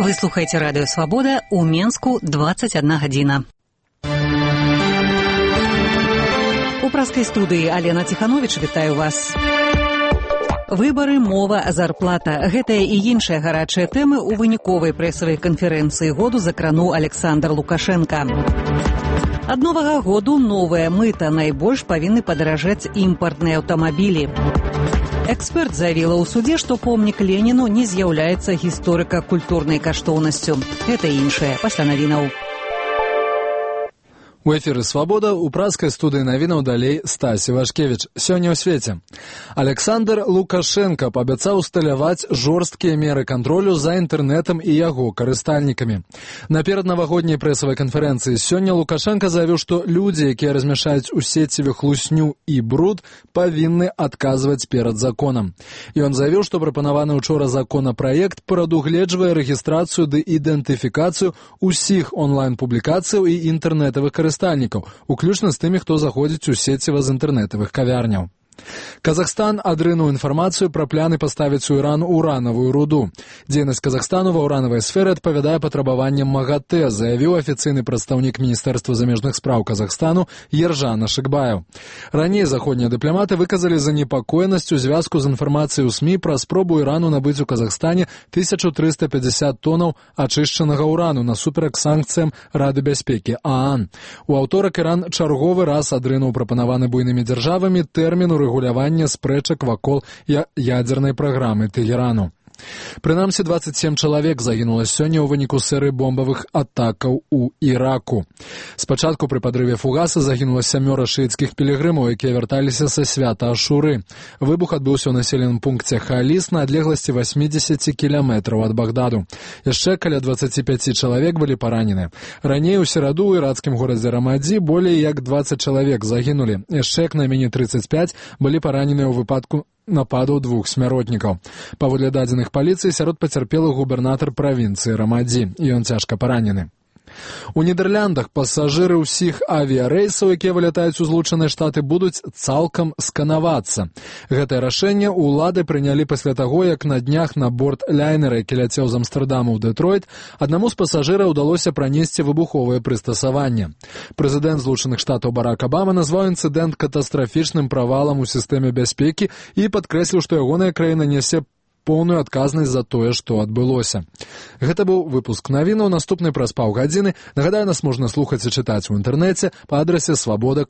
Вы слухаете радио «Свобода», у Менску 21 гадзіна. У праскай студыі Алена Тиханович вітаю вас. Выбары, мова, зарплата. Гэтая і іншыя гарачыя тэмы ў выніковай прэсавай канферэнцыі году закрануў Александр Лукашенко. Ад новага году новая мыта. Найбольш павінны падаражаць імпартныя аўтамабілі. Эксперт заявіла ў судзе, што помнік Леніну не з'яўляецца гісторыка-культурнай каштоўнасцю. Гэта іншае пасля навінаў. У эфіры «Свабода», у праскай студыі навінаў далей Стасі Вашкевіч. Сёння ў свеце. Александр Лукашенко паабяцаў усталяваць жорсткія меры кантролю за інтэрнэтам і яго карыстальнікамі. Наперад навагодняй прэсавай канферэнцыі сёння Лукашенко заявіў, што людзі, якія размяшаюць у сеціве хлусню і бруд, павінны адказваць перад законам. Ён заявіў, што прапанаваны учора законапраект прадугледжвае рэгістрацыю ды ідэнтыфікацыю ўсіх онлайн-публікацыяў і інтэрнэтавых карыстальнікаў, уключна з тымі, хто заходзіць у сеціва з інтэрнэтавых кавярняў. Казахстан адрынуў інфармацыю пра пляны паставіць у Іран уранавую руду. Дзейнасць Казахстану ва ўранавай сферы адпавядае патрабаванням МАГАТЭ, заявіў афіцыйны прадстаўнік Міністэрства замежных спраў Казахстану Ержан Ашыкбаев. Раней заходнія дыпламаты выказалі занепакоенасць у звязку з інфармацыяй у СМІ пра спробу Ірану набыць у Казахстане 1350 тонаў ачышчанага ўрану насуперак санкцыям Рады бяспекі ААН. У аўторак Іран чарговы раз адрынуў прапанаваны буйнымі дзяржавамі тэрмін урэгулявання спрэчак вакол ядзернай праграмы Тэгерану. Прынамсі, 27 чалавек загінула сёння ў выніку серыі бомбавых атакаў у Іраку. Спачатку пры падрыве фугаса загінула 7 шыіцкіх пілігрымаў, якія вярталіся са свята Ашуры. Выбух адбыўся ў населеным пункце Халіс на адлегласці 80 кіламетраў ад Багдаду. Яшчэ каля 25 чалавек былі паранены. Раней у сераду ў ірацкім горадзе Рамадзі болей як 20 чалавек загінулі. Яшчэ як найменей 35 былі параненыя ў выпадку нападаў двух смяротнікаў. Паводле дадзеных паліцыі, сярод пацярпелых губернатар правінцыі Рамадзі. Ён цяжка паранены. У Нідэрляндах пасажыры ўсіх авіярэйсаў, якія вылятаюць у Злучаныя Штаты, будуць цалкам сканавацца. Гэтае рашэнне ўлады прынялі пасля таго, як на днях на борт ляйнера, які ляцеў з Амстэрдаму ў Дэтройт, аднаму з пасажыраў удалося пранесці выбуховае прыстасаванне. Прэзідэнт Злучаных Штатаў Барак Абама назваў інцыдэнт катастрафічным правалам у сістэме бяспекі і падкрэсліў, што ягоная краіна нясе поўную адказнасць за тое, што адбылося. Гэта быў выпуск навінаў, наступны праз паўгадзіны. Нагадаю, нас можна слухаць і чытаць у інтэрнэце па адрасе свабода.